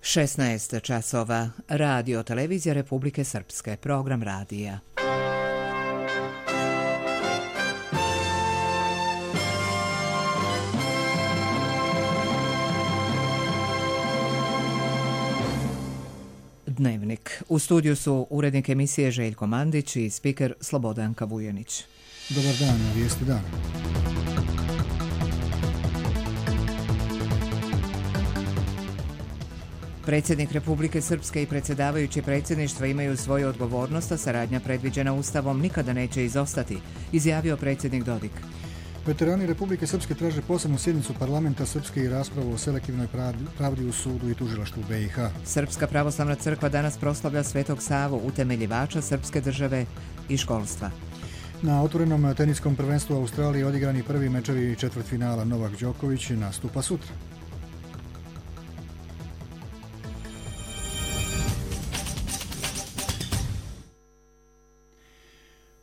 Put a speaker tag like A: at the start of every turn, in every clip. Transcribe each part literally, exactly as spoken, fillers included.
A: šesnaest časova. Radio Televizija Republike Srpske. Program radija. Dnevnik. U studiju su urednik emisije Željko Mandić i spiker Slobodanka Vujanić.
B: Dobar dan, vijesti dana.
A: Predsjednik Republike Srpske i predsjedavajući predsjedništva imaju svoju odgovornost, a saradnja predviđena Ustavom nikada neće izostati, izjavio predsjednik Dodik.
B: Veterani Republike Srpske traže posebnu sjednicu parlamenta Srpske i raspravu o selektivnoj pravdi u sudu i tužilaštvu B i H.
A: Srpska pravoslavna crkva danas proslavlja Svetog Savu, utemeljivača srpske države i školstva.
B: Na otvorenom teniskom prvenstvu Australije odigrani prvi mečevi četvrtfinala. Novak Đoković nastupa sutra.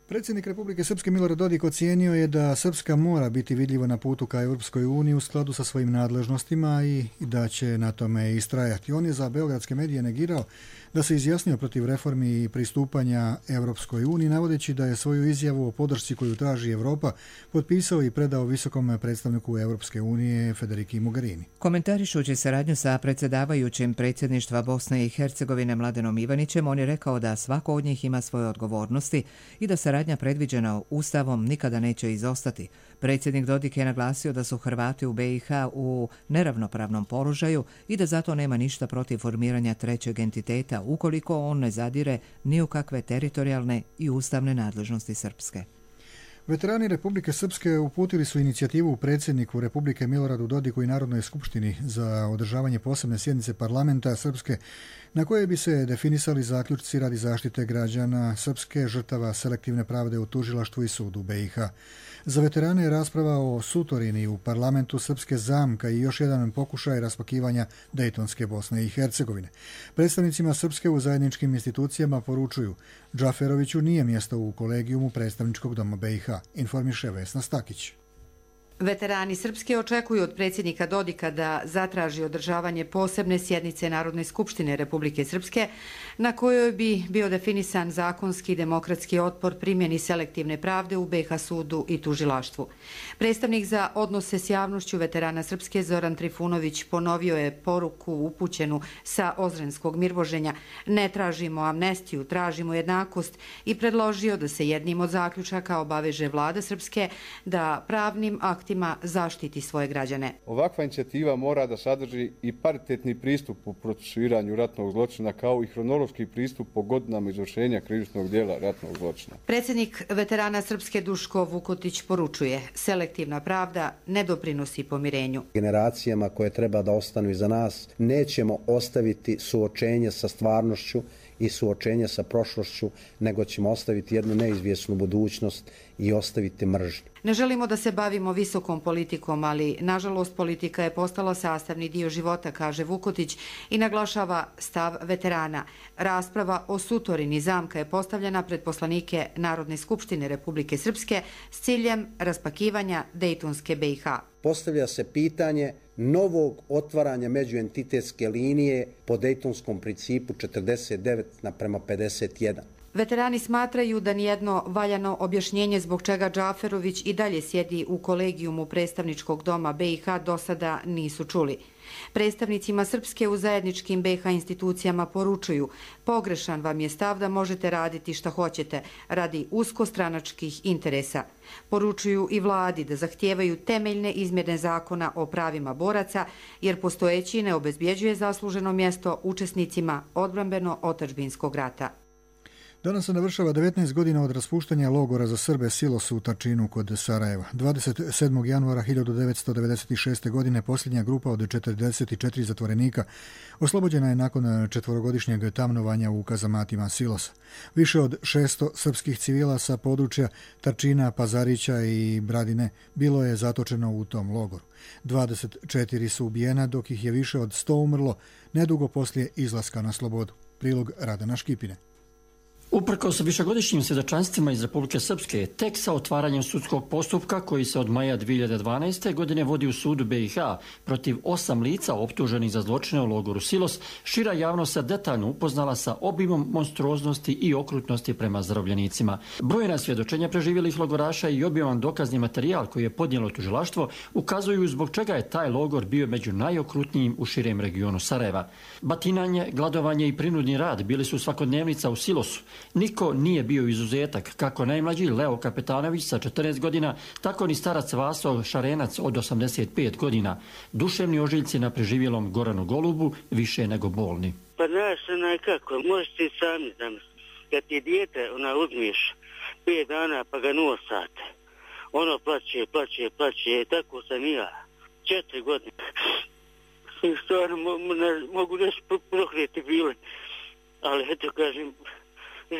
B: Predsjednik Republike Srpske Milorad Dodik ocijenio je da Srpska mora biti vidljiva na putu ka Europskoj uniji u skladu sa svojim nadležnostima i da će na tome istrajati. On je za beogradske medije negirao da se izjasnio protiv reformi i pristupanja Europskoj uniji, navodeći da je svoju izjavu o podršci koju traži Europa potpisao i predao visokom predstavniku Europske unije Federiki Mogherini.
A: Komentarišući saradnju sa predsjedavajućim predsjedništva Bosne i Hercegovine Mladenom Ivanićem, on je rekao da svako od njih ima svoje odgovornosti i da saradnja predviđena Ustavom nikada neće izostati. Predsjednik Dodik je naglasio da su Hrvati u B i H u neravnopravnom položaju i da zato nema ništa protiv formiranja trećeg entiteta ukoliko on ne zadire ni u kakve teritorijalne i ustavne nadležnosti Srpske.
B: Veterani Republike Srpske uputili su inicijativu predsjedniku Republike Miloradu Dodiku i Narodnoj skupštini za održavanje posebne sjednice parlamenta Srpske na koje bi se definisali zaključci radi zaštite građana Srpske, žrtava selektivne pravde u tužilaštvu i sudu B i H. Za veterane je rasprava o sutorini u parlamentu Srpske zamka i još jedan pokušaj raspakivanja Dejtonske Bosne i Hercegovine. Predstavnicima Srpske u zajedničkim institucijama poručuju: Džaferoviću nije mjesto u kolegijumu predstavničkog doma B i H, informiše Vesna Stakić.
C: Veterani Srpske očekuju od predsjednika Dodika da zatraži održavanje posebne sjednice Narodne skupštine Republike Srpske na kojoj bi bio definisan zakonski i demokratski otpor primjeni selektivne pravde u B i H sudu i tužilaštvu. Predstavnik za odnose s javnošću veterana Srpske Zoran Trifunović ponovio je poruku upućenu sa Ozrenskog Mirvoženja: ne tražimo amnestiju, tražimo jednakost, i predložio da se jednim od zaključaka obaveže vlada Srpske da pravnim aktima zaštiti svoje građane.
D: Ovakva inicijativa mora da sadrži i paritetni pristup u procesuiranju ratnog zločina kao i hronološki pristup po godinama izvršenja krivičnog djela ratnog zločina.
C: Predsjednik veterana Srpske Duško Vukotić poručuje: selektivna pravda ne doprinosi pomirenju.
E: Generacijama koje treba da ostanu iza nas nećemo ostaviti suočenje sa stvarnošću i suočenje sa prošlošću, nego ćemo ostaviti jednu neizvjesnu budućnost i ostaviti mržnju.
C: Ne želimo da se bavimo visokom politikom, ali nažalost politika je postala sastavni dio života, kaže Vukotić i naglašava stav veterana. Rasprava o sutorini zamka je postavljena pred poslanike Narodne skupštine Republike Srpske s ciljem raspakivanja Dejtonske B i H.
E: Postavlja se pitanje novog otvaranja međuentitetske linije po Dejtonskom principu četrdeset devet naprema pedeset jedan.
C: Veterani smatraju da nijedno valjano objašnjenje zbog čega Džaferović i dalje sjedi u kolegijumu predstavničkog doma B i H do sada nisu čuli. Predstavnicima Srpske u zajedničkim B i H institucijama poručuju: pogrešan vam je stav da možete raditi šta hoćete radi uskostranačkih interesa. Poručuju i vladi da zahtijevaju temeljne izmjene zakona o pravima boraca, jer postojeći ne obezbjeđuje zasluženo mjesto učesnicima odbrambeno-otadžbinskog rata.
B: Danas se navršava devetnaest godina od raspuštanja logora za Srbe Silos u Tačinu kod Sarajeva. dvadeset sedmog januara hiljadu devetsto devedeset šeste. godine posljednja grupa od četrdeset četiri zatvorenika oslobođena je nakon četvorogodišnjeg tamnovanja u kazamatima Silosa. Više od šesto srpskih civila sa područja Tačina, Pazarića i Bradine bilo je zatočeno u tom logoru. dvadeset četiri su ubijena, dok ih je više od sto umrlo nedugo poslije izlaska na slobodu. Prilog Radana Škipine.
F: Uprkos višegodišnjim svjedočanstvima iz Republike Srpske, tek sa otvaranjem sudskog postupka koji se od maja dvije hiljade dvanaeste. godine vodi u sudu B i H protiv osam lica optuženih za zločine u logoru Silos, šira javnost se detaljno upoznala sa obimom monstruoznosti i okrutnosti prema zarobljenicima. Brojna svjedočenja preživjelih logoraša i obiman dokazni materijal koji je podnijelo tužilaštvo ukazuju zbog čega je taj logor bio među najokrutnijim u širem regionu Sarajeva. Batinanje, gladovanje i prinudni rad bili su svakodnevnica u Silosu. Niko nije bio izuzetak, kako najmlađi Leo Kapetanović sa četrnaest godina, tako ni starac Vaso Šarenac od osamdeset pet godina. Duševni ožiljci na preživjelom Goranu Golubu više nego bolni.
G: Pa znaš, onaj kako, možeš ti sami zamisliti. Kad ti dijete, ona uzmiš pet dana pa ga nosate. Ono plaće, plaće, plaće, tako sam i ja. Četiri godine. I stvarno ne, mogu nešto prokreti bile. Ali eto kažem,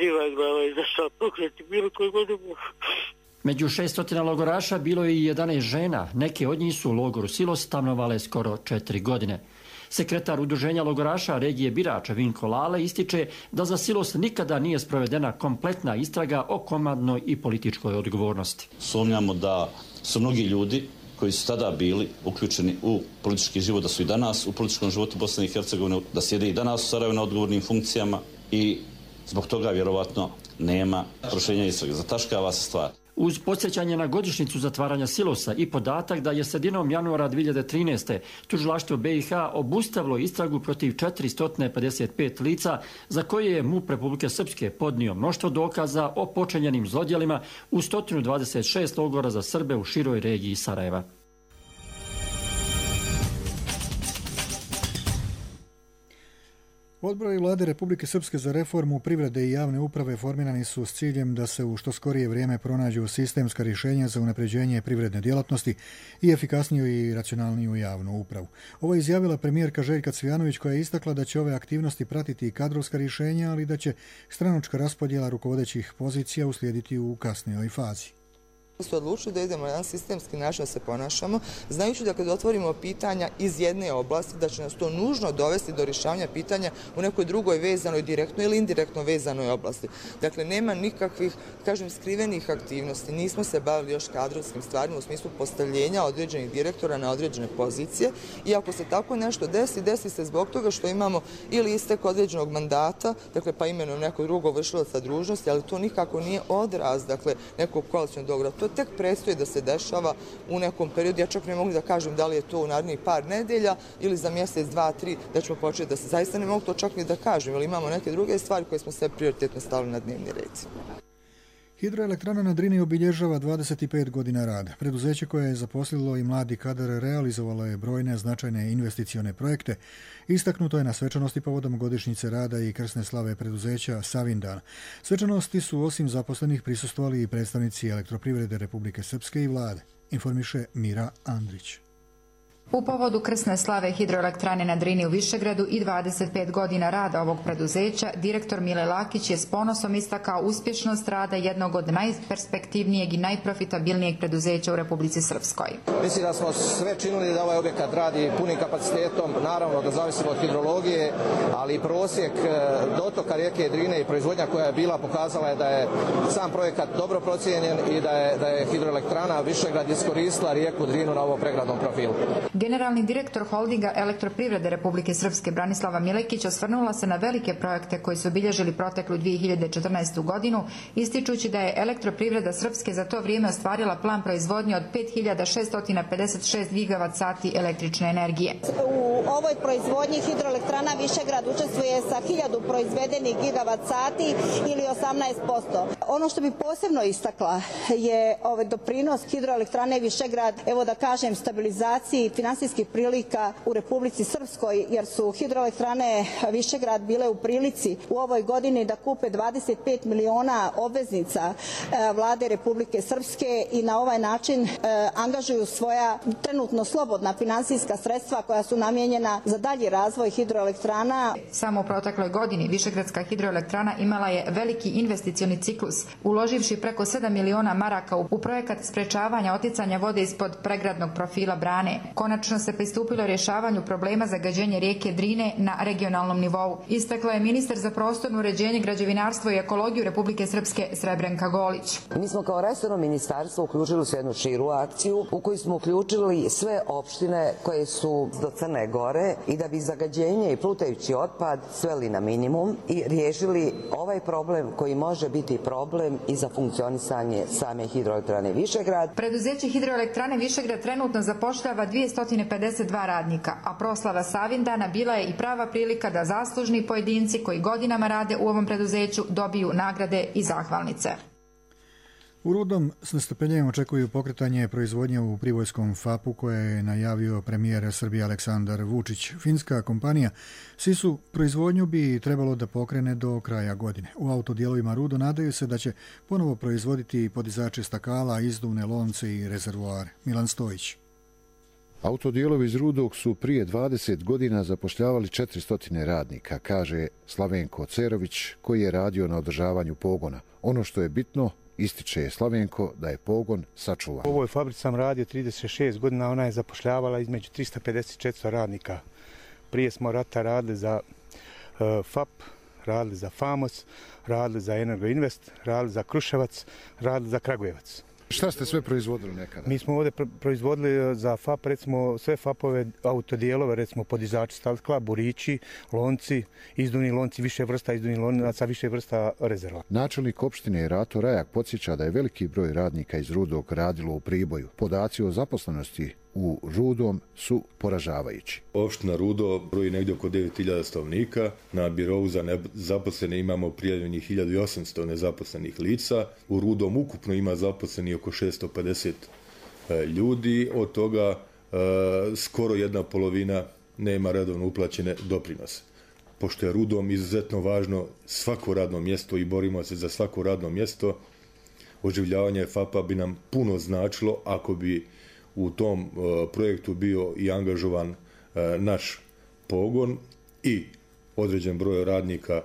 G: živa glava je zašla pokreti bilo koji god je.
F: Među šestotina logoraša bilo je i jedanaest žena, neke od njih su u logoru Silos stanovale skoro četiri godine. Sekretar udruženja logoraša regije Birača Vinko Lale ističe da za Silos nikada nije sprovedena kompletna istraga o komandnoj i političkoj odgovornosti.
H: Sumnjamo da su mnogi ljudi koji su tada bili uključeni u politički život, da su i danas u političkom životu Bosne i Hercegovine, da sjede i danas u Sarajevu na odgovornim funkcijama i zbog toga vjerovatno nema proširenja istrage. Zataškava se stvar.
F: Uz podsjećanje na godišnjicu zatvaranja Silosa i podatak da je sredinom januara dvije hiljade trinaeste. tužilaštvo B i H obustavilo istragu protiv četiristo pedeset pet lica za koje je MUP Republike Srpske podnio mnoštvo dokaza o počinjenim zlodjelima u sto dvadeset šest logora za Srbe u široj regiji Sarajeva.
B: Odbori Vlade Republike Srpske za reformu privrede i javne uprave formirani su s ciljem da se u što skorije vrijeme pronađu sistemska rješenja za unapređenje privredne djelatnosti i efikasniju i racionalniju javnu upravu. Ovo je izjavila premijerka Željka Cvijanović koja je istakla da će ove aktivnosti pratiti i kadrovska rješenja, ali da će stranačka raspodjela rukovodećih pozicija uslijediti u kasnijoj fazi.
I: Su odlučili da idemo na jedan sistemski način da se ponašamo, znajući da kad otvorimo pitanja iz jedne oblasti, da će nas to nužno dovesti do rješavanja pitanja u nekoj drugoj vezanoj, direktno ili indirektno vezanoj oblasti. Dakle, nema nikakvih, kažem, skrivenih aktivnosti. Nismo se bavili još kadrovskim stvarima u smislu postavljenja određenih direktora na određene pozicije i ako se tako nešto desi, desi se zbog toga što imamo ili istek određenog mandata, dakle, pa imenom nekog drugog vršilaca dužnosti, ali to nikako nije odraz, dakle, nekog koalicionog dogovora. To tek predstoji da se dešava u nekom periodu. Ja čak ne mogu da kažem da li je to u narednih par nedelja ili za mjesec, dva, tri, da ćemo početi da se zaista ne mogu to čak ni da kažem, jer imamo neke druge stvari koje smo sve prioritetno stavili na dnevni red.
B: Hidroelektrana na Drini obilježava dvadeset pet godina rada. Preduzeće koje je zaposlilo i mladi kadar realizovalo je brojne značajne investicione projekte. Istaknuto je na svečanosti povodom godišnjice rada i krsne slave preduzeća Savindan. Svečanosti su osim zaposlenih prisustvovali i predstavnici Elektroprivrede Republike Srpske i vlade, informiše Mira Andrić.
J: U povodu krsne slave hidroelektrane na Drini u Višegradu i dvadeset pet godina rada ovog preduzeća, direktor Mile Lakić je s ponosom istakao uspješnost rada jednog od najperspektivnijeg i najprofitabilnijeg preduzeća u Republici Srpskoj.
K: Mislim da smo sve činili da ovaj objekat radi punim kapacitetom, naravno da zavisimo od hidrologije, ali i prosjek dotoka rijeke Drine i proizvodnja koja je bila pokazala je da je sam projekat dobro procijenjen i da je, da je hidroelektrana Višegrad iskoristila rijeku Drinu na ovom pregradnom profilu.
J: Generalni direktor holdinga Elektroprivrede Republike Srpske Branislava Milekić osvrnula se na velike projekte koji su obilježili proteklu dvije hiljade četrnaestu. godinu, ističući da je Elektroprivreda Srpske za to vrijeme ostvarila plan proizvodnje od pet hiljada šesto pedeset šest gigavat sati električne energije.
L: U ovoj proizvodnji hidroelektrana Višegrad učestvuje sa hiljadu proizvedenih gigavat sati ili osamnaest posto. Ono što bi posebno istakla je ovaj doprinos hidroelektrane Višegrad, evo da kažem, stabilizaciji finansijskih prilika u Republici Srpskoj, jer su hidroelektrane Višegrad bile u prilici u ovoj godini da kupe dvadeset pet miliona obveznica vlade Republike Srpske i na ovaj način angažuju svoja trenutno slobodna finansijska sredstva koja su namijenjena za dalji razvoj hidroelektrana.
J: Samo u protekloj godini Višegradska hidroelektrana imala je veliki investicioni ciklus Plus, uloživši preko sedam miliona maraka u projekat sprečavanja oticanja vode ispod pregradnog profila brane. Konačno se pristupilo rješavanju problema zagađenja rijeke Drine na regionalnom nivou. Istakla je ministar za prostorno uređenje, građevinarstvo i ekologiju Republike Srpske Srebrenka Golić.
M: Mi smo kao resorno ministarstvo uključili se jednu širu akciju u kojoj smo uključili sve opštine koje su do Crne Gore i da bi zagađenje i plutajući otpad sveli na minimum i riješili ovaj problem koji može biti problem i za funkcionisanje same hidroelektrane Višegrad.
J: Preduzeće hidroelektrane Višegrad trenutno zapošljava dvjesto pedeset dva radnika, a proslava Savindana bila je i prava prilika da zaslužni pojedinci koji godinama rade u ovom preduzeću dobiju nagrade i zahvalnice.
B: U Rudom s nestrpljenjem očekuju pokretanje proizvodnje u pribojskom fapu koje je najavio premijer Srbije Aleksandar Vučić. Finska kompanija Sisu proizvodnju bi trebalo da pokrene do kraja godine. U autodijelovima Rudo nadaju se da će ponovo proizvoditi podizače stakala, izduvne lonce i rezervoare. Milan Stojić.
N: Autodijelovi iz Rudog su prije dvadeset godina zapošljavali četiristo radnika, kaže Slavenko Cerović, koji je radio na održavanju pogona. Ono što je bitno, ističe Slavenko, da je pogon sačuvan.
O: U ovoj fabrici sam radio trideset šest godina, ona je zapošljavala između tristo pedeset do četiristo radnika. Prije smo rata radili za uh, F A P, radili za Famos, radili za Energoinvest, radili za Kruševac, radili za Kragujevac.
N: Šta ste sve proizvodili nekada?
O: Mi smo ovdje proizvodili za F A P, recimo sve F A P-ove autodijelove, recimo podizači stakla, burići, lonci, izduvni lonci, više vrsta izduvnih lonaca, više vrsta rezerva.
N: Načelnik opštine Rato Rajak podsjeća da je veliki broj radnika iz Rudog radilo u Priboju. Podaci o zaposlenosti u Rudom su poražavajući.
P: Opština Rudo broji negdje oko devet hiljada stanovnika. Na birovu za zaposlene imamo prijavljenih hiljadu osamsto nezaposlenih lica. U Rudom ukupno ima zaposleni oko šesto pedeset ljudi. Od toga e, skoro jedna polovina nema redovno uplaćene doprinose. Pošto je Rudom izuzetno važno svako radno mjesto i borimo se za svako radno mjesto, oživljavanje F A P-a bi nam puno značilo ako bi u tom uh, projektu bio i angažovan uh, naš pogon i određen broj radnika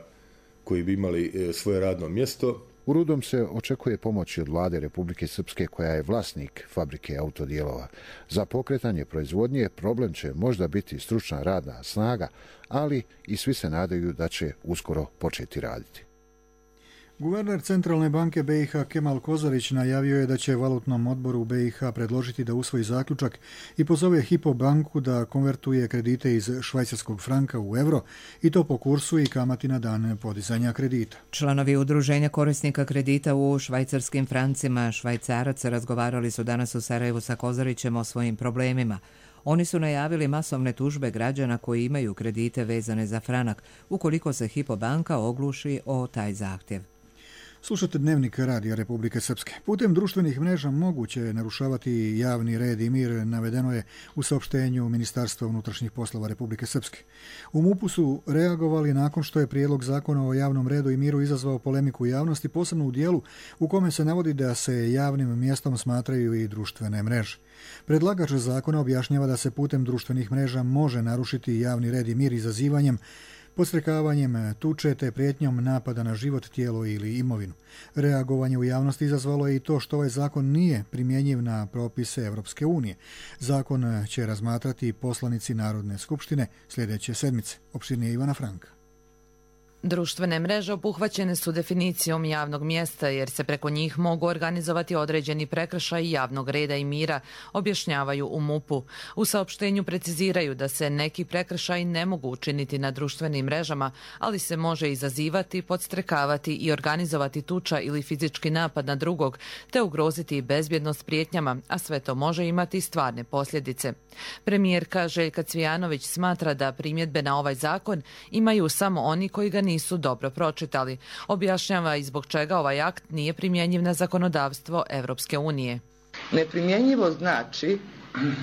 P: koji bi imali uh, svoje radno mjesto.
N: U Rudom se očekuje pomoći od vlade Republike Srpske koja je vlasnik fabrike autodijelova. Za pokretanje proizvodnje problem će možda biti stručna radna snaga, ali i svi se nadaju da će uskoro početi raditi.
B: Guverner Centralne banke B i H Kemal Kozarić najavio je da će valutnom odboru B i H predložiti da usvoji zaključak i pozove Hypo banku da konvertuje kredite iz švajcarskog franka u euro i to po kursu i kamati na dan podizanja kredita.
A: Članovi udruženja korisnika kredita u švajcarskim francima Švajcarac razgovarali su danas u Sarajevu sa Kozarićem o svojim problemima. Oni su najavili masovne tužbe građana koji imaju kredite vezane za franak ukoliko se Hypo banka ogluši o taj zahtjev.
B: Slušate Dnevnik Radija Republike Srpske. Putem društvenih mreža moguće je narušavati javni red i mir, navedeno je u saopštenju Ministarstva unutrašnjih poslova Republike Srpske. U MUP-u su reagovali nakon što je prijedlog zakona o javnom redu i miru izazvao polemiku u javnosti, posebno u dijelu u kome se navodi da se javnim mjestom smatraju i društvene mreže. Predlagač zakona objašnjava da se putem društvenih mreža može narušiti javni red i mir izazivanjem, podstrekavanjem tuče te prijetnjom napada na život, tijelo ili imovinu. Reagovanje u javnosti izazvalo je i to što ovaj zakon nije primjenjiv na propise Evropske unije. Zakon će razmatrati poslanici Narodne skupštine sljedeće sedmice. Opširnije Ivana Franka.
Q: Društvene mreže obuhvaćene su definicijom javnog mjesta jer se preko njih mogu organizovati određeni prekršaj javnog reda i mira, objašnjavaju u MUP-u. U saopštenju preciziraju da se neki prekršaj ne mogu učiniti na društvenim mrežama, ali se može izazivati, podstrekavati i organizovati tuča ili fizički napad na drugog, te ugroziti bezbjednost prijetnjama, a sve to može imati stvarne posljedice. Premijerka Željka Cvijanović smatra da primjedbe na ovaj zakon imaju samo oni koji ga nisu dobro pročitali. Objašnjava i zbog čega ovaj akt nije primjenjiv na zakonodavstvo Evropske unije.
I: Neprimjenjivo znači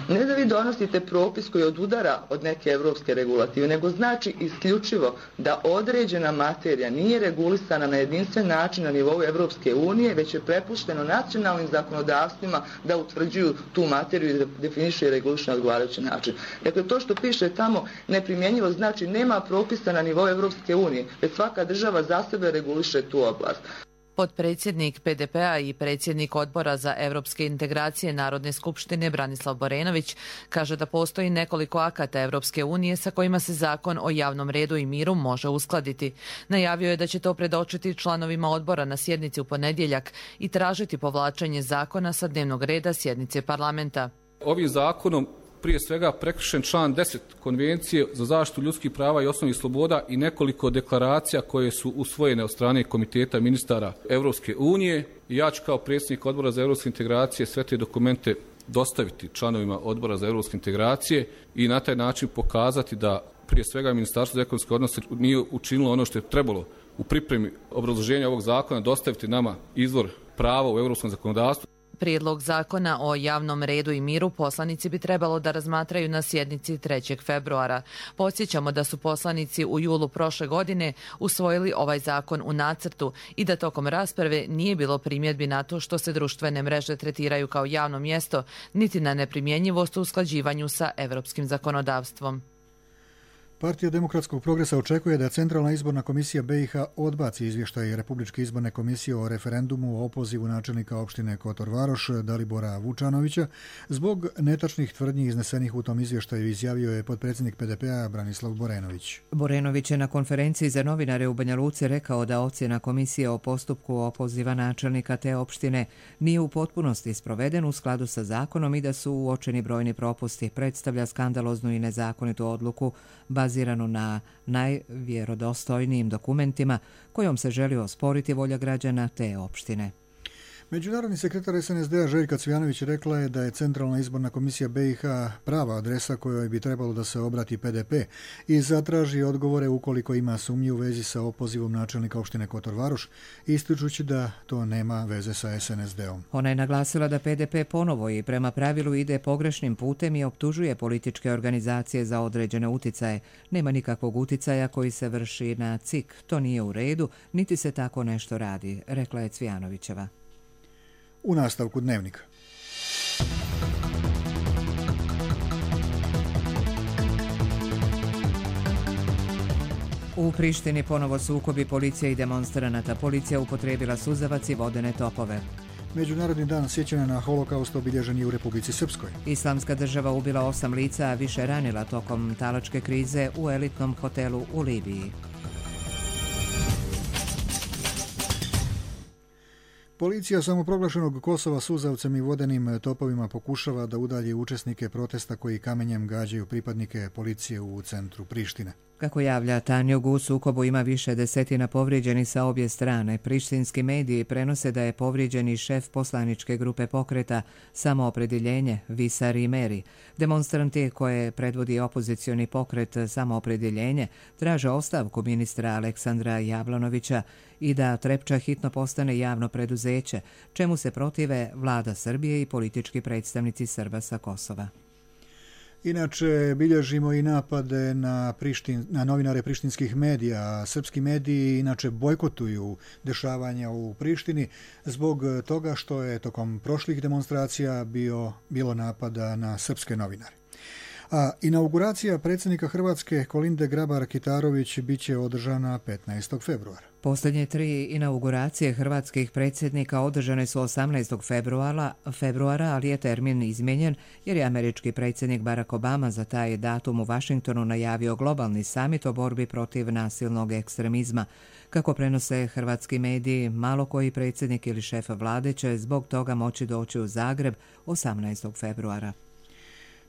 I: ne da vi donosite propis koji odudara od neke evropske regulative, nego znači isključivo da određena materija nije regulisana na jedinstven način na nivou Evropske unije, već je prepušteno nacionalnim zakonodavstvima da utvrđuju tu materiju i da definišu i regulišu na odgovarajući način. Dakle, to što piše tamo neprimjenjivo znači nema propisa na nivou Evropske unije, već svaka država za sebe reguliše tu oblast.
Q: Potpredsjednik P D P-a i predsjednik Odbora za evropske integracije Narodne skupštine Branislav Borenović kaže da postoji nekoliko akata Evropske unije sa kojima se zakon o javnom redu i miru može uskladiti. Najavio je da će to predočiti članovima odbora na sjednici u ponedjeljak i tražiti povlačenje zakona sa dnevnog reda sjednice parlamenta.
R: Ovim zakonom prije svega prekršen član deset Konvencije za zaštitu ljudskih prava i osnovnih sloboda i nekoliko deklaracija koje su usvojene od strane Komiteta ministara Evropske unije. Ja ću kao predsjednik Odbora za evropske integracije sve te dokumente dostaviti članovima Odbora za evropske integracije i na taj način pokazati da prije svega Ministarstvo za ekonomske odnose nije učinilo ono što je trebalo u pripremi obrazloženja ovog zakona dostaviti nama izvor prava u europskom zakonodavstvu.
Q: Prijedlog zakona o javnom redu i miru poslanici bi trebalo da razmatraju na sjednici trećeg februara. Podsjećamo da su poslanici u julu prošle godine usvojili ovaj zakon u nacrtu i da tokom rasprave nije bilo primjedbi na to što se društvene mreže tretiraju kao javno mjesto, niti na neprimjenjivost u usklađivanju sa evropskim zakonodavstvom.
B: Partija demokratskog progresa očekuje da Centralna izborna komisija B i H odbaci izvještaj Republičke izborne komisije o referendumu o opozivu načelnika opštine Kotor Varoš Dalibora Vučanovića. Zbog netačnih tvrdnji iznesenih u tom izvještaju izjavio je potpredsjednik P D P-a Branislav Borenović.
A: Borenović je na konferenciji za novinare u Banja Luci rekao da ocjena komisije o postupku opoziva načelnika te opštine nije u potpunosti sproveden u skladu sa zakonom i da su uočeni brojni propusti, predstavlja skandaloznu i nezakonitu odluku baziranu na najvjerodostojnijim dokumentima kojom se želi osporiti volja građana te opštine.
B: Međunarodni sekretar S N S D-a Željka Cvijanović rekla je da je Centralna izborna komisija B i H prava adresa kojoj bi trebalo da se obrati P D P i zatraži odgovore ukoliko ima sumnji u vezi sa opozivom načelnika opštine Kotor Varoš, ističući da to nema veze sa S N S D-om.
A: Ona je naglasila da P D P ponovo i prema pravilu ide pogrešnim putem i optužuje političke organizacije za određene uticaje. Nema nikakvog uticaja koji se vrši na C I K. To nije u redu, niti se tako nešto radi, rekla je Cvijanovićeva.
B: U nastavku dnevnika.
A: U Prištini ponovo sukobi policije i demonstranata. Policija upotrijebila suzavac i vodene topove.
B: Međunarodni dan sjećanja na holokaust obilježen je u Republici Srpskoj.
A: Islamska država ubila osam lica, a više ranila tokom talačke krize u elitnom hotelu u Libiji.
B: Policija samoproglašenog Kosova suzavcem i vodenim topovima pokušava da udalji učesnike protesta koji kamenjem gađaju pripadnike policije u centru Prištine.
A: Kako javlja Tanjug, u sukobu ima više desetina povrijeđeni sa obje strane. Prištinski mediji prenose da je povrijeđeni šef poslaničke grupe pokreta Samoopredjeljenje Visar Imeri. Demonstranti koje predvodi opozicioni pokret Samoopredjeljenje traže ostavku ministra Aleksandra Jablanovića i da Trepča hitno postane javno preduzeće, čemu se protive vlada Srbije i politički predstavnici Srba sa Kosova.
B: Inače, bilježimo i napade na, Prištin, na novinare prištinskih medija. Srpski mediji inače bojkotuju dešavanja u Prištini zbog toga što je tokom prošlih demonstracija bio, bilo napada na srpske novinare. A inauguracija predsjednika Hrvatske Kolinde Grabar-Kitarović bit će održana petnaestog februara.
A: Posljednje tri inauguracije hrvatskih predsjednika održane su osamnaestog februara, februara, ali je termin izmijenjen jer je američki predsjednik Barack Obama za taj datum u Vašingtonu najavio globalni samit o borbi protiv nasilnog ekstremizma. Kako prenose hrvatski mediji, malo koji predsjednik ili šef vlade će zbog toga moći doći u Zagreb osamnaestog februara.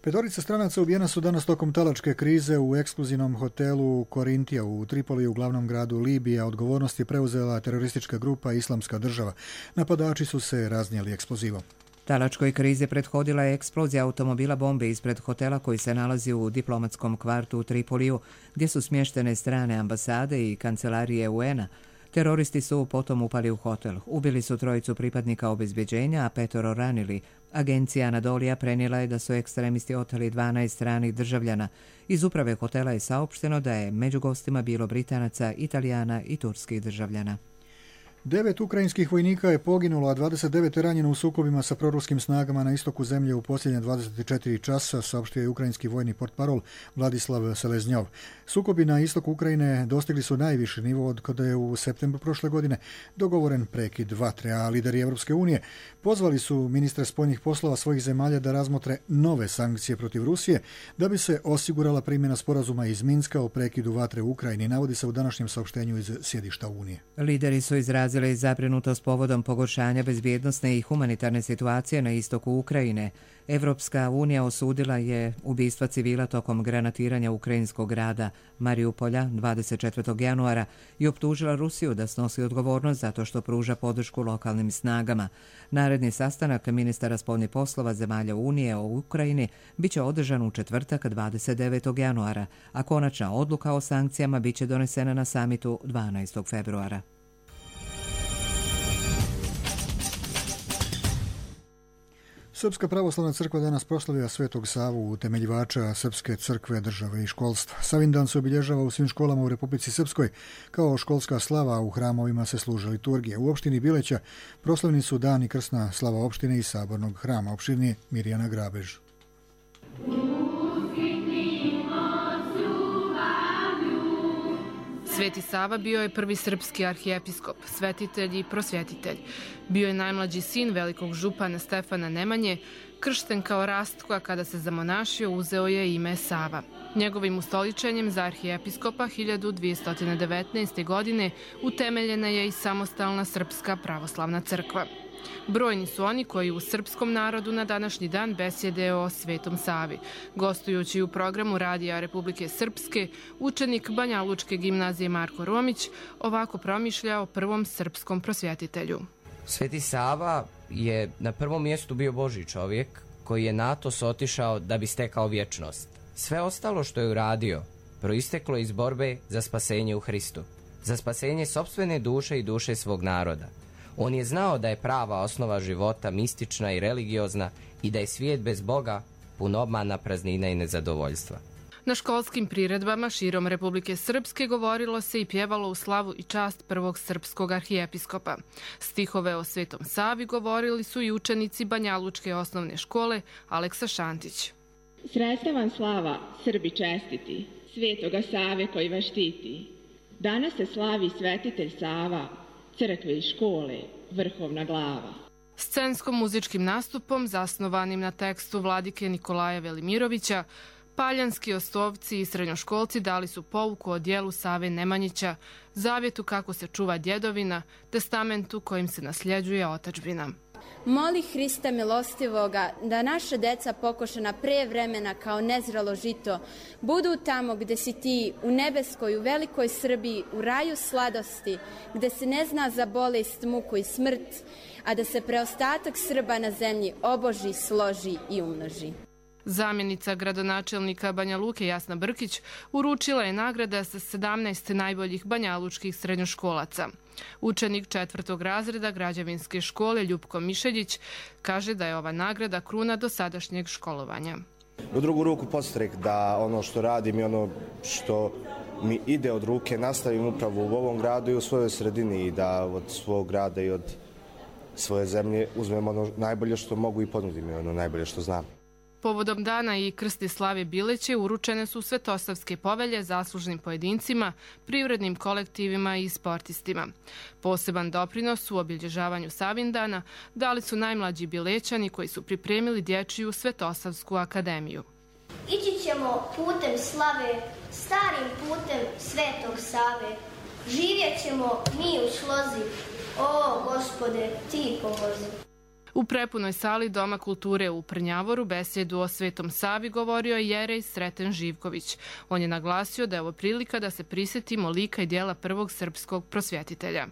B: Petorica stranaca ubijena su danas tokom talačke krize u ekskluzivnom hotelu Korintija u Tripoliju, u glavnom gradu Libije. Odgovornost je preuzela teroristička grupa Islamska država. Napadači su se raznijeli eksplozivom.
A: Talačkoj krizi prethodila je eksplozija automobila bombe ispred hotela koji se nalazi u diplomatskom kvartu u Tripoliju, gdje su smještene strane ambasade i kancelarije U N-a. Teroristi su potom upali u hotel. Ubili su trojicu pripadnika obezbeđenja, a petoro ranili. Agencija Anadolija prenijela je da su ekstremisti oteli dvanaest stranih državljana. Iz uprave hotela je saopšteno da je među gostima bilo Britanaca, Italijana i turskih državljana.
B: Devet ukrajinskih vojnika je poginulo, a dvadeset devet je ranjeno u sukobima sa proruskim snagama na istoku zemlje u posljednje dvadeset četiri časa, saopštio je ukrajinski vojni portparol Vladislav Seleznjov. Sukobi na istoku Ukrajine dostigli su najviši nivo od kada je u septembru prošle godine dogovoren prekid vatre, a lideri Europske unije pozvali su ministre spoljnih poslova svojih zemalja da razmotre nove sankcije protiv Rusije da bi se osigurala primjena sporazuma iz Minska o prekidu vatre u Ukrajini, navodi se u današnjem saopštenju iz sjedišta Unije.
A: Lideri su izrazili zabrinutost povodom pogoršanja bezbjednosne i humanitarne situacije na istoku Ukrajine. Evropska unija osudila je ubistva civila tokom granatiranja ukrajinskog grada Mariupolja dvadeset četvrtog januara i optužila Rusiju da snosi odgovornost zato što pruža podršku lokalnim snagama. Naredni sastanak ministara spoljnih poslova zemalja Unije o Ukrajini biće održan u četvrtak dvadeset devetog januara, a konačna odluka o sankcijama biće donesena na samitu dvanaestog februara.
B: Srpska pravoslavna crkva danas proslavlja Svetog Savu, utemeljivača srpske crkve, države i školstva. Savindan se obilježava u svim školama u Republici Srpskoj. Kao školska slava, a u hramovima se služe liturgije. U opštini Bileća proslavljeni su dan i krsna slava opštine i sabornog hrama. Opštini Mirjana Grabež.
S: Sveti Sava bio je prvi srpski arhijepiskop, svetitelj i prosvjetitelj. Bio je najmlađi sin velikog župana Stefana Nemanje, kršten kao rastka kada se zamonašio uzeo je ime Sava. Njegovim ustoličenjem za arhijepiskopa hiljadu dvjesto devetnaeste. godine utemeljena je i samostalna Srpska pravoslavna crkva. Brojni su oni koji u srpskom narodu na današnji dan besjede o Svetom Savi. Gostujući u programu Radija Republike Srpske, učenik Banja Lučke gimnazije Marko Romić ovako promišlja o prvom srpskom prosvjetitelju.
T: Sveti Sava je na prvom mjestu bio Božji čovjek koji je na to otišao da bi stekao vječnost. Sve ostalo što je uradio proisteklo iz borbe za spasenje u Hristu, za spasenje sopstvene duše i duše svog naroda. On je znao da je prava osnova života mistična i religiozna i da je svijet bez Boga pun obmana, praznina i nezadovoljstva.
S: Na školskim priredbama širom Republike Srpske govorilo se i pjevalo u slavu i čast prvog srpskog arhijepiskopa. Stihove o Svetom Savi govorili su i učenici Banja Lučke osnovne škole Aleksa Šantić.
U: Sreća vam slava, Srbi čestiti, Svetoga Save koji vas štiti. Danas se slavi svetitelj Sava, crkve i škole, vrhovna glava.
S: Scensko-muzičkim nastupom, zasnovanim na tekstu vladike Nikolaja Velimirovića, paljanski ostovci i srednjoškolci dali su pouku o dijelu Save Nemanjića, zavjetu kako se čuva djedovina, testamentu kojim se nasljeđuje otadžbina.
V: Moli Hrista milostivoga da naša deca pokošena pre vremena kao nezrelo žito budu tamo gde si ti, u nebeskoj, u velikoj Srbiji, u raju sladosti, gde se ne zna za bolest, muku i smrt, a da se preostatak Srba na zemlji oboži, složi i umnoži.
S: Zamjenica gradonačelnika Banja Luke Jasna Brkić uručila je nagrada sa sedamnaest najboljih banjalučkih srednjoškolaca. Učenik četvrtog razreda građevinske škole Ljupko Mišeljić kaže da je ova nagrada kruna dosadašnjeg školovanja.
W: U drugu ruku podstrek da ono što radim i ono što mi ide od ruke nastavim upravo u ovom gradu i u svojoj sredini i da od svog grada i od svoje zemlje uzmem ono najbolje što mogu i ponudim ono najbolje što znam.
S: Povodom dana i krsti slave Bileće uručene su svetosavske povelje zaslužnim pojedincima, privrednim kolektivima i sportistima. Poseban doprinos u obilježavanju Savindana dali su najmlađi Bilećani koji su pripremili dječju Svetosavsku akademiju.
X: Ići ćemo putem slave, starim putem Svetog Save. Živjet ćemo mi u slozi, o Gospode, ti pomozi.
S: U prepunoj sali Doma kulture u Prnjavoru besjedu o Svetom Savi govorio je jerej Sreten Živković. On je naglasio da je ovo prilika da se prisjetimo lika i dijela prvog srpskog prosvjetitelja.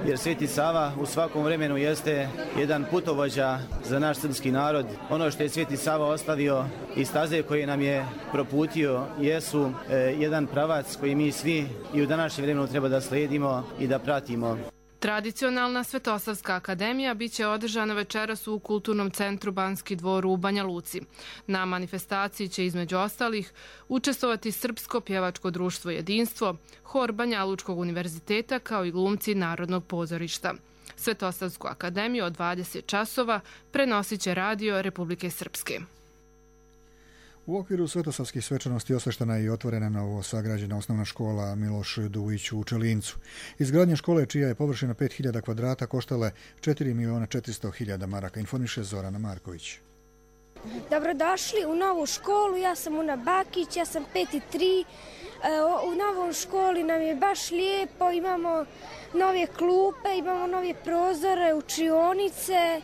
Y: Jer Sveti Sava u svakom vremenu jeste jedan putovođa za naš srpski narod. Ono što je Sveti Sava ostavio i staze koje nam je proputio jesu e, jedan pravac koji mi svi i u današnjem vremenu treba da slijedimo i da pratimo.
S: Tradicionalna Svetosavska akademija biće održana večeras u Kulturnom centru Banski dvor u Banja Luci. Na manifestaciji će između ostalih učestvovati Srpsko pjevačko društvo Jedinstvo, hor Banja Lučkog univerziteta kao i glumci Narodnog pozorišta. Svetosavsku akademiju od dvadeset časova prenosit će radio Republike Srpske.
B: U okviru svetosavskih svečanosti osveštena je i otvorena novo sagrađena osnovna škola Miloš Dujić u Čelincu. Izgradnja škole, čija je površina pet hiljada kvadrata, koštala je četiri miliona četiristo hiljada maraka, informiše Zorana Marković.
C: Dobrodošli u novu školu, ja sam Una Bakić, ja sam pet i tri. U novom školi nam je baš lijepo, imamo nove klupe, imamo nove prozore, učionice.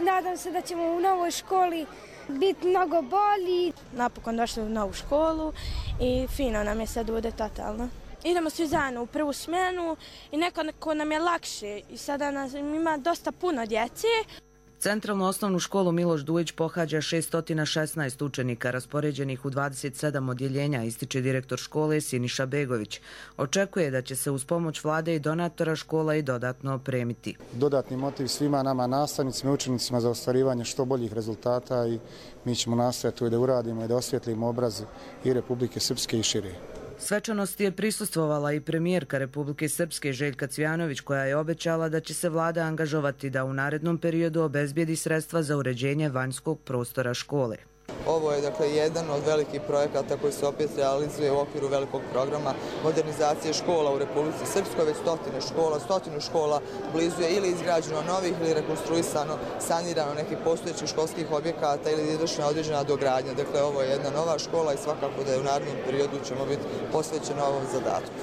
C: Nadam se da ćemo u novoj školi biti mnogo bolji.
D: Napokon došli u novu školu i fino nam je sad ovdje totalno. Idemo svi zajedno u prvu smjenu i nekako nam je lakše i sada nas ima dosta puno djece.
Q: Centralnu osnovnu školu Miloš Dujić pohađa šesto šesnaest učenika raspoređenih u dvadeset sedam odjeljenja, ističe direktor škole Siniša Begović. Očekuje da će se uz pomoć vlade i donatora škola i dodatno opremiti.
E: Dodatni motiv svima nama nastavnicima i učenicima za ostvarivanje što boljih rezultata i mi ćemo nastojati da uradimo i da osvijetlimo obraz i Republike Srpske i šire.
Q: Svečanosti je prisustvovala i premijerka Republike Srpske Željka Cvjanović, koja je obećala da će se vlada angažovati da u narednom periodu obezbijedi sredstva za uređenje vanjskog prostora škole.
I: Ovo je dakle jedan od velikih projekata koji se opet realizuje u okviru velikog programa modernizacije škola u Republici Srpskoj. Već stotine škola, stotinu škola blizu je ili izgrađeno novih ili rekonstruisano, sanirano nekih postojećih školskih objekata ili izvršena određena dogradnja. Dakle, ovo je jedna nova škola i svakako da je u narednom periodu ćemo biti posvećeni ovom zadatku.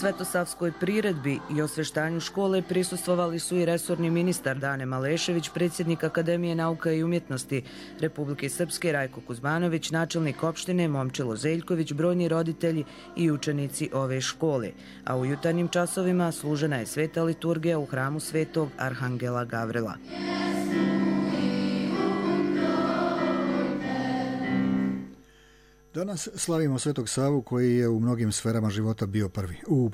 Q: Svetosavskoj priredbi i osveštanju škole prisustvovali su i resorni ministar Dane Malešević, predsjednik Akademije nauka i umjetnosti Republike Srpske Rajko Kuzmanović, načelnik opštine Momčilo Zeljković, brojni roditelji i učenici ove škole. A u jutarnjim časovima služena je sveta liturgija u hramu Svetog Arhangela Gavrila.
B: Danas slavimo Svetog Savu, koji je u mnogim sferama života bio prvi. U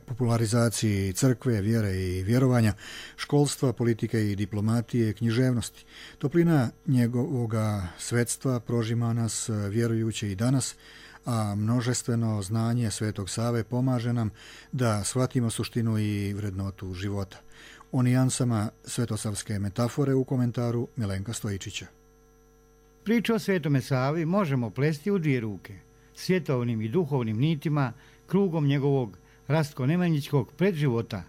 B: popularizaciji crkve, vjere i vjerovanja, školstva, politike i diplomatije, književnosti. Toplina njegovoga svetstva prožima nas vjerujuće i danas, a množestveno znanje Svetog Save pomaže nam da shvatimo suštinu i vrednotu života. O nijansama svetosavske metafore u komentaru Milenka Stojičića.
G: Priču o Svetome Savi možemo plesti u dvije ruke, svjetovnim i duhovnim nitima, krugom njegovog Rastko-Nemanjićkog predživota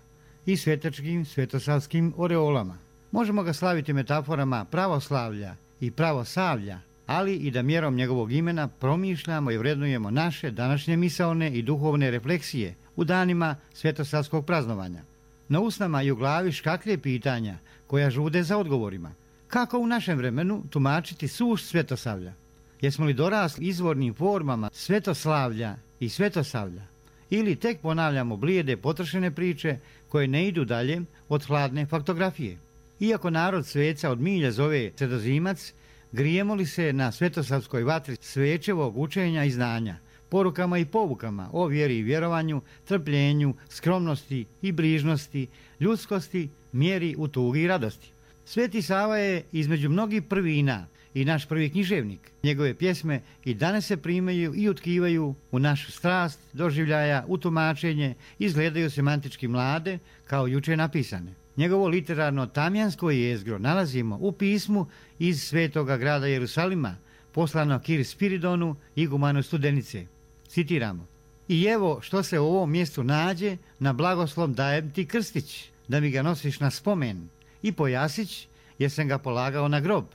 G: i svetačkim svetosavskim oreolama. Možemo ga slaviti metaforama pravoslavlja i pravosavlja, ali i da mjerom njegovog imena promišljamo i vrednujemo naše današnje misaone i duhovne refleksije u danima svetosavskog praznovanja. Na usnama i u glavi škaklje pitanja koja žude za odgovorima. Kako u našem vremenu tumačiti sušt svetosavlja? Jesmo li dorasli izvornim formama svetoslavlja i svetosavlja? Ili tek ponavljamo blijede potrošene priče koje ne idu dalje od hladne faktografije? Iako narod sveca od milja zove Sredozimac, grijemo li se na svetosavskoj vatri svečevog učenja i znanja, porukama i povukama o vjeri i vjerovanju, trpljenju, skromnosti i brižnosti, ljudskosti, mjeri u tugi i radosti? Sveti Sava je između mnogih prvina i naš prvi književnik. Njegove pjesme i danas se primaju i utkivaju u našu strast, doživljaja, u tumačenje, izgledaju semantički mlade kao juče napisane. Njegovo literarno tamjansko jezgro nalazimo u pismu iz svetoga grada Jerusalima, poslano Kir Spiridonu, igumanu Studenice. Citiramo: "I evo što se u ovom mjestu nađe, na blagoslov dajem ti krstić, da mi ga nosiš na spomen, i pojasić, jer sam ga polagao na grob,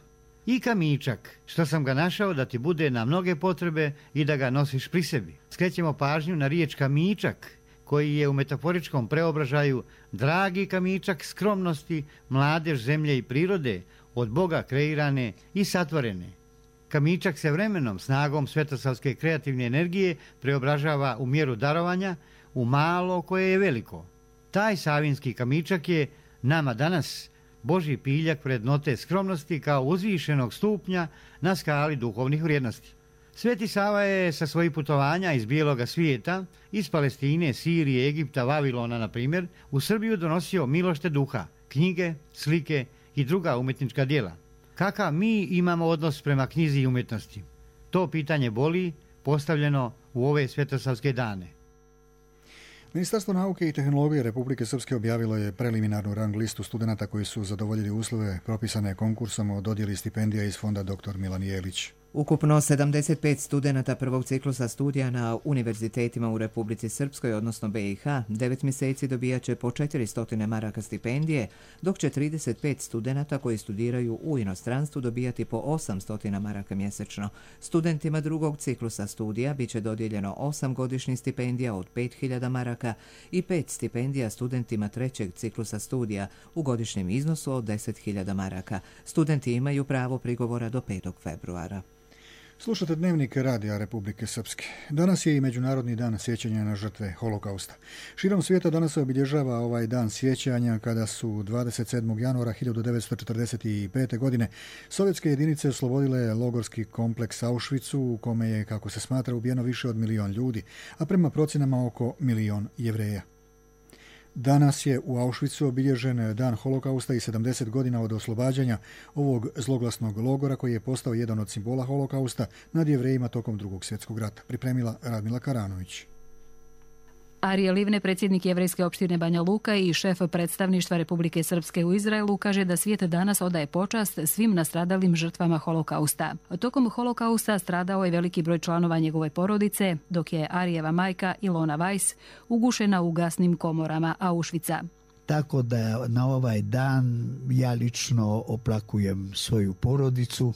G: i kamičak, što sam ga našao da ti bude na mnoge potrebe i da ga nosiš pri sebi." Skrećemo pažnju na riječ kamičak, koji je u metaforičkom preobražaju dragi kamičak skromnosti, mladež zemlje i prirode, od Boga kreirane i satvorene. Kamičak se vremenom, snagom svetosavske kreativne energije, preobražava u mjeru darovanja, u malo koje je veliko. Taj savinski kamičak je nama danas Božji piljak vrednote skromnosti kao uzvišenog stupnja na skali duhovnih vrijednosti. Sveti Sava je sa svojih putovanja iz bijeloga svijeta, iz Palestine, Sirije, Egipta, Vavilona, na primjer, u Srbiju donosio milošte duha, knjige, slike i druga umjetnička djela. Kakav mi imamo odnos prema knjizi i umjetnosti? To pitanje boli, postavljeno u ove svetosavske dane.
B: Ministarstvo nauke i tehnologije Republike Srpske objavilo je preliminarnu rang listu studenata koji su zadovoljili uslove propisane konkursom o dodjeli stipendija iz fonda doktor Milan Jelić.
A: Ukupno sedamdeset pet studenata prvog ciklusa studija na univerzitetima u Republici Srpskoj, odnosno B i H, devet mjeseci dobijat će po četiristo maraka stipendije, dok će trideset pet studenata koji studiraju u inostranstvu dobijati po osamsto maraka mjesečno. Studentima drugog ciklusa studija bit će dodijeljeno osam godišnjih stipendija od pet hiljada maraka i pet stipendija studentima trećeg ciklusa studija u godišnjem iznosu od deset hiljada maraka. Studenti imaju pravo prigovora do petog februara.
B: Slušate Dnevnik Radija Republike Srpske. Danas je i Međunarodni dan sjećanja na žrtve holokausta. Širom svijeta danas se obilježava ovaj dan sjećanja kada su dvadeset sedmog januara hiljadu devetsto četrdeset pete. godine sovjetske jedinice oslobodile logorski kompleks Auschwitzu u kome je, kako se smatra, ubijeno više od milion ljudi, a prema procjenama oko milion Jevreja. Danas je u Auschwitzu obilježen dan holokausta i sedamdeset godina od oslobađanja ovog zloglasnog logora koji je postao jedan od simbola holokausta nad Jevrejima tokom drugog svjetskog rata. Pripremila Radmila Karanović.
F: Arije Livne, predsjednik Jevrejske opštine Banja Luka i šef predstavništva Republike Srpske u Izraelu, kaže da svijet danas odaje počast svim nastradalim žrtvama holokausta. Tokom holokausta stradao je veliki broj članova njegove porodice, dok je Arijeva majka Ilona Weiss ugušena u gasnim komorama Auschwitza.
H: Tako da na ovaj dan ja lično oplakujem svoju porodicu.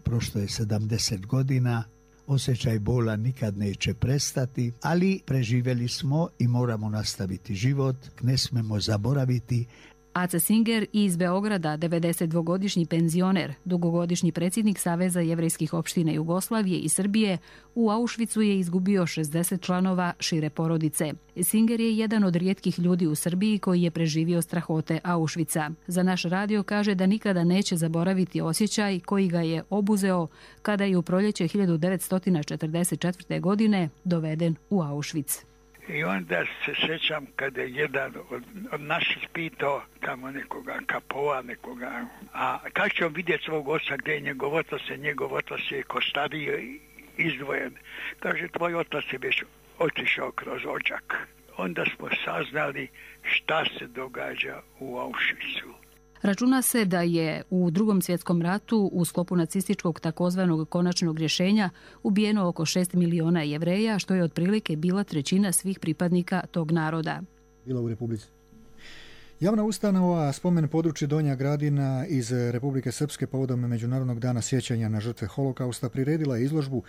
H: Prošlo je sedamdeset godina. Osjećaj bola nikad neće prestati, ali preživjeli smo i moramo nastaviti život. Ne smemo zaboraviti.
F: Aca Singer iz Beograda, devedesetdvogodišnji penzioner, dugogodišnji predsjednik Saveza jevrejskih opština Jugoslavije i Srbije, u Auschwitzu je izgubio šezdeset članova šire porodice. Singer je jedan od rijetkih ljudi u Srbiji koji je preživio strahote Auschwitza. Za naš radio kaže da nikada neće zaboraviti osjećaj koji ga je obuzeo kada je u proljeće hiljadu devetsto četrdeset četvrte. godine doveden u Auschwitz.
K: I onda se sjećam kada je jedan od, od naših pitao tamo nekoga kapova, nekoga, a kako će on vidjeti svog oca, gdje je njegov otac, a njegov otac je ko stariji izdvojen. Kaže, tvoj otac je već otišao kroz odžak. Onda smo saznali šta se događa u Auschwitzu.
F: Računa se da je u Drugom svjetskom ratu u sklopu nacističkog takozvanog konačnog rješenja ubijeno oko šest miliona Jevreja, što je otprilike bila trećina svih pripadnika tog naroda.
B: Bila u Republici. Javna ustanova Spomen područje Donja Gradina iz Republike Srpske povodom Međunarodnog dana sjećanja na žrtve holokausta priredila izložbu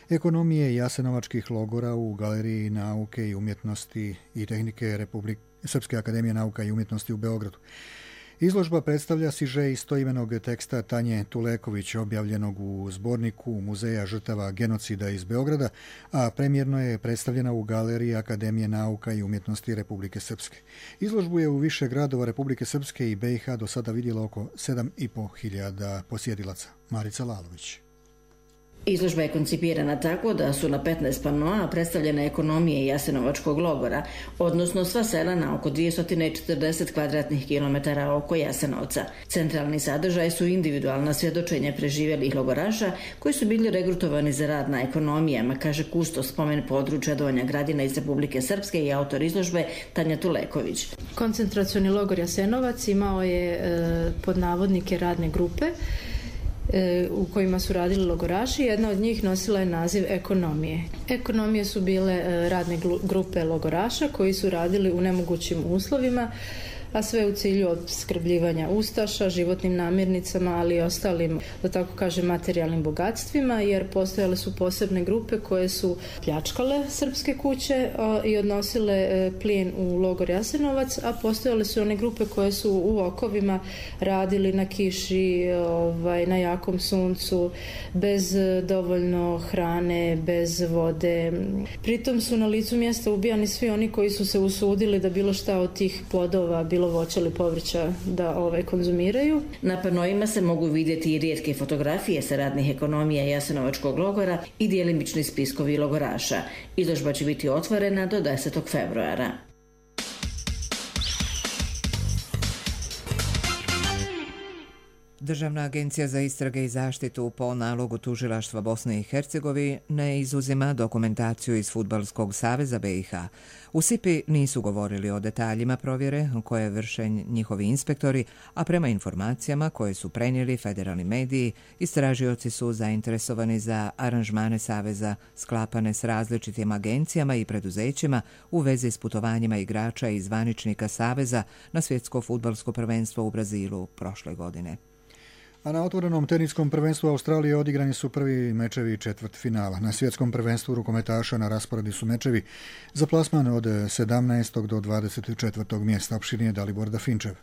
B: ekonomije jasenovačkih logora u Galeriji nauke i umjetnosti i tehnike Republike Srpske akademije nauka i umjetnosti u Beogradu. Izložba predstavlja sižej istoimenog teksta Tanje Tuleković, objavljenog u zborniku Muzeja žrtava genocida iz Beograda, a premjerno je predstavljena u Galeriji Akademije nauka i umjetnosti Republike Srpske. Izložbu je u više gradova Republike Srpske i B i H do sada vidjelo oko sedam i po hiljada posjedilaca. Marica Lalović.
L: Izložba je koncipirana tako da su na petnaest panoa predstavljene ekonomije jasenovačkog logora, odnosno sva sela na oko dvjesto četrdeset kvadratnih kilometara oko Jasenovca. Centralni sadržaj su individualna svjedočenja preživjelih logoraša koji su bili regrutovani za rad na ekonomijama, kaže kustos Spomen područja Donja Gradina iz Republike Srpske i autor izložbe Tanja Tuleković.
M: Koncentracioni logor Jasenovac imao je e, pod navodnike radne grupe u kojima su radili logoraši. Jedna od njih nosila je naziv ekonomije. Ekonomije su bile radne grupe logoraša koji su radili u nemogućim uslovima, a sve u cilju opskrbljivanja ustaša, životnim namirnicama, ali i ostalim, da tako kažem, materijalnim bogatstvima, jer postojale su posebne grupe koje su pljačkale srpske kuće i odnosile plijen u logor Jasenovac, a postojale su one grupe koje su u okovima radili na kiši, ovaj, na jakom suncu, bez dovoljno hrane, bez vode. Pritom su na licu mjesta ubijani svi oni koji su se usudili da bilo šta od tih plodova, bilo bilo voća ili povrća da ovaj, konzumiraju.
L: Na panoima se mogu vidjeti i rijetke fotografije sa radnih ekonomija Jasenovačkog logora i djelimični spiskovi logoraša. Izložba će biti otvorena do desetog februara.
A: Državna agencija za istrage i zaštitu po nalogu tužilaštva Bosne i Hercegovine ne izuzima dokumentaciju iz Fudbalskog saveza be i ha. U S I P I nisu govorili o detaljima provjere koje vrše njihovi inspektori, a prema informacijama koje su prenijeli federalni mediji, istražioci su zainteresovani za aranžmane saveza sklapane s različitim agencijama i preduzećima u vezi s putovanjima igrača i zvaničnika saveza na svjetsko fudbalsko prvenstvo u Brazilu prošle godine.
B: A na otvorenom teniskom prvenstvu Australije odigrani su prvi mečevi četvrt finala. Na svjetskom prvenstvu rukometaša na rasporedi su mečevi za plasman od sedamnaestog do dvadeset četvrtog mjesta. Opširnije Dalibor Dafinčev.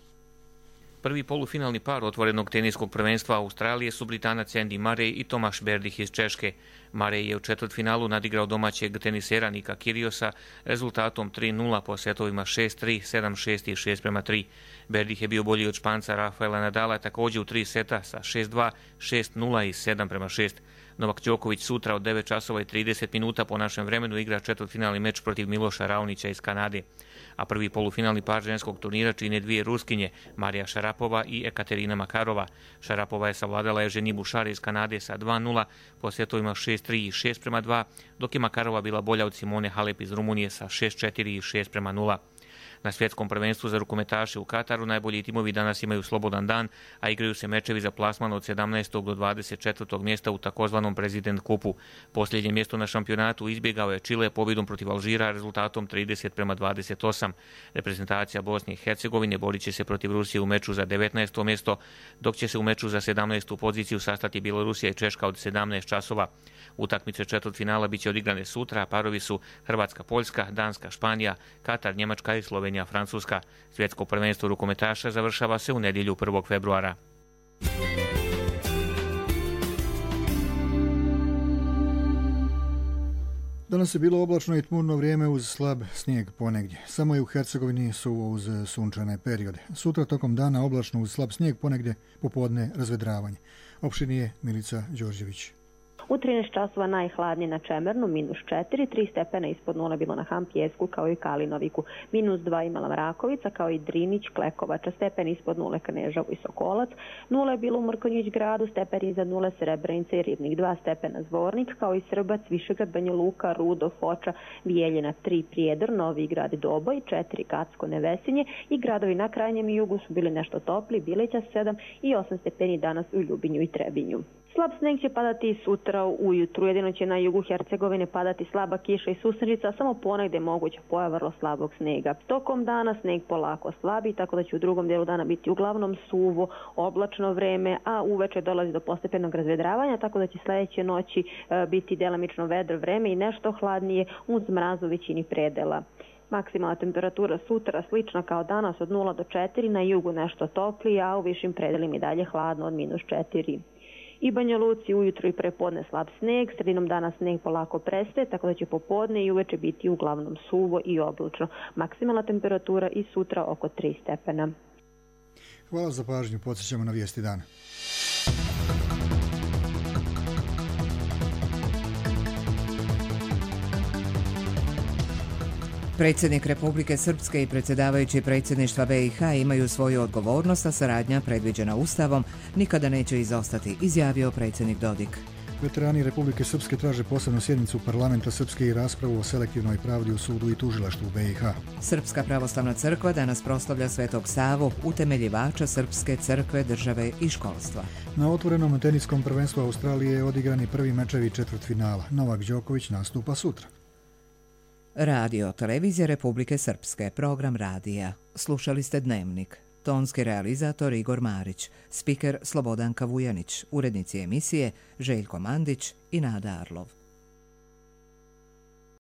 J: Prvi polufinalni par otvorenog teniskog prvenstva Australije su Britanac Andy Murray i Tomaš Berdych iz Češke. Murray je u četvrtfinalu nadigrao domaćeg tenisera Nika Kyriosa rezultatom tri nula po setovima šest tri, sedam šest i šest prema tri. Berdych je bio bolji od Španca Rafaela Nadala također u tri seta sa šest dva, šest nula i sedam prema šest. Novak Đoković sutra od devet časova i trideset minuta po našem vremenu igra četvrtfinalni meč protiv Miloša Raonića iz Kanade. A prvi polufinalni par ženskog turnira čine dvije Ruskinje, Marija Šarapova i Ekaterina Makarova. Šarapova je savladala Evženji Bušar iz Kanade sa dva nula po setovima šest tri i šest prema dva, dok je Makarova bila bolja od Simone Halep iz Rumunije sa šest četiri i šest prema nula. Na svjetskom prvenstvu za rukometaše u Kataru najbolji timovi danas imaju slobodan dan, a igraju se mečevi za plasman od sedamnaestog do dvadeset četvrtog mjesta u takozvanom President kupu. Posljednje mjesto na šampionatu izbjegao je Čile pobjedom protiv Alžira rezultatom trideset prema dvadeset osam. Reprezentacija Bosne i Hercegovine borit će se protiv Rusije u meču za devetnaesto mjesto, dok će se u meču za sedamnaestu poziciju sastati Bjelorusija i Češka od sedamnaest časova. Utakmice četvrtfinala biće odigrane sutra, a parovi su Hrvatska-Poljska, Danska-Španija, Katar, Njemačka i Slovenija-Francuska. Svjetsko prvenstvo rukometaša završava se u nedjelju prvog februara.
B: Danas je bilo oblačno i tmurno vrijeme uz slab snijeg ponegdje. Samo je u Hercegovini su uz sunčane periode. Sutra tokom dana oblačno uz slab snijeg, ponegdje popodne razvedravanje. Opširnije Milica Đorđević.
N: U trinaest časova najhladnije na Čemernu, minus četiri, tri stepena ispod nule bilo na Hampjesku kao i Kalinoviku, minus dva imala Mrakovica kao i Drinić, Klekovača, stepen ispod nule Kneževo i Sokolac, nula je bilo u Mrkonjić gradu, stepen iznad nule Srebrenica i Ribnik, dva stepena Zvornik kao i Srbac, Višegrad, Banja Luka, Rudo, Foča, Bijeljina, tri Prijedor, Novi Grad, Doboj, četiri Kacko, Nevesinje i gradovi na krajnjem jugu su bili nešto topli, Bileća sedam i osam stepeni danas u Ljubinju i Trebinju. Slab sneg će padati i sutra ujutru, jedino će na jugu Hercegovine padati slaba kiša i susrenica, samo ponegdje moguća pojava vrlo slabog snega. Tokom dana sneg polako slabi, tako da će u drugom dijelu dana biti uglavnom suvo, oblačno vreme, a uveče dolazi do postepenog razvedravanja, tako da će sljedeće noći e, biti delimično vedro vreme i nešto hladnije uz mraz u većini predela. Maksimalna temperatura sutra slična kao danas od nula do četiri, na jugu nešto toplije, a u višim predelima i dalje hladno od minus četiri. I Banja Luci ujutro i prepodne slab sneg, sredinom dana sneg polako prestaje, tako da će popodne i uveče biti uglavnom suvo i oblačno. Maksimalna temperatura i sutra oko tri stepena.
B: Hvala za pažnju, podsjećamo na vijesti dana.
A: Predsjednik Republike Srpske i predsjedavajući predsjedništva be i ha imaju svoju odgovornost, a saradnja predviđena Ustavom nikada neće izostati, izjavio predsjednik Dodik.
B: Veterani Republike Srpske traže posebnu sjednicu parlamenta Srpske i raspravu o selektivnoj pravdi u sudu i tužilaštvu be i ha.
A: Srpska pravoslavna crkva danas proslavlja Svetog Savu, utemeljivača Srpske crkve, države i školstva.
B: Na otvorenom teniskom prvenstvu Australije je odigrani prvi mečevi četvrtfinala. Novak Đoković nastupa sutra.
A: Radio Televizija Republike Srpske, program radija. Slušali ste Dnevnik. Tonski realizator Igor Marić, spiker Slobodanka Vujanić, urednici emisije Željko Mandić i Nada Arlov.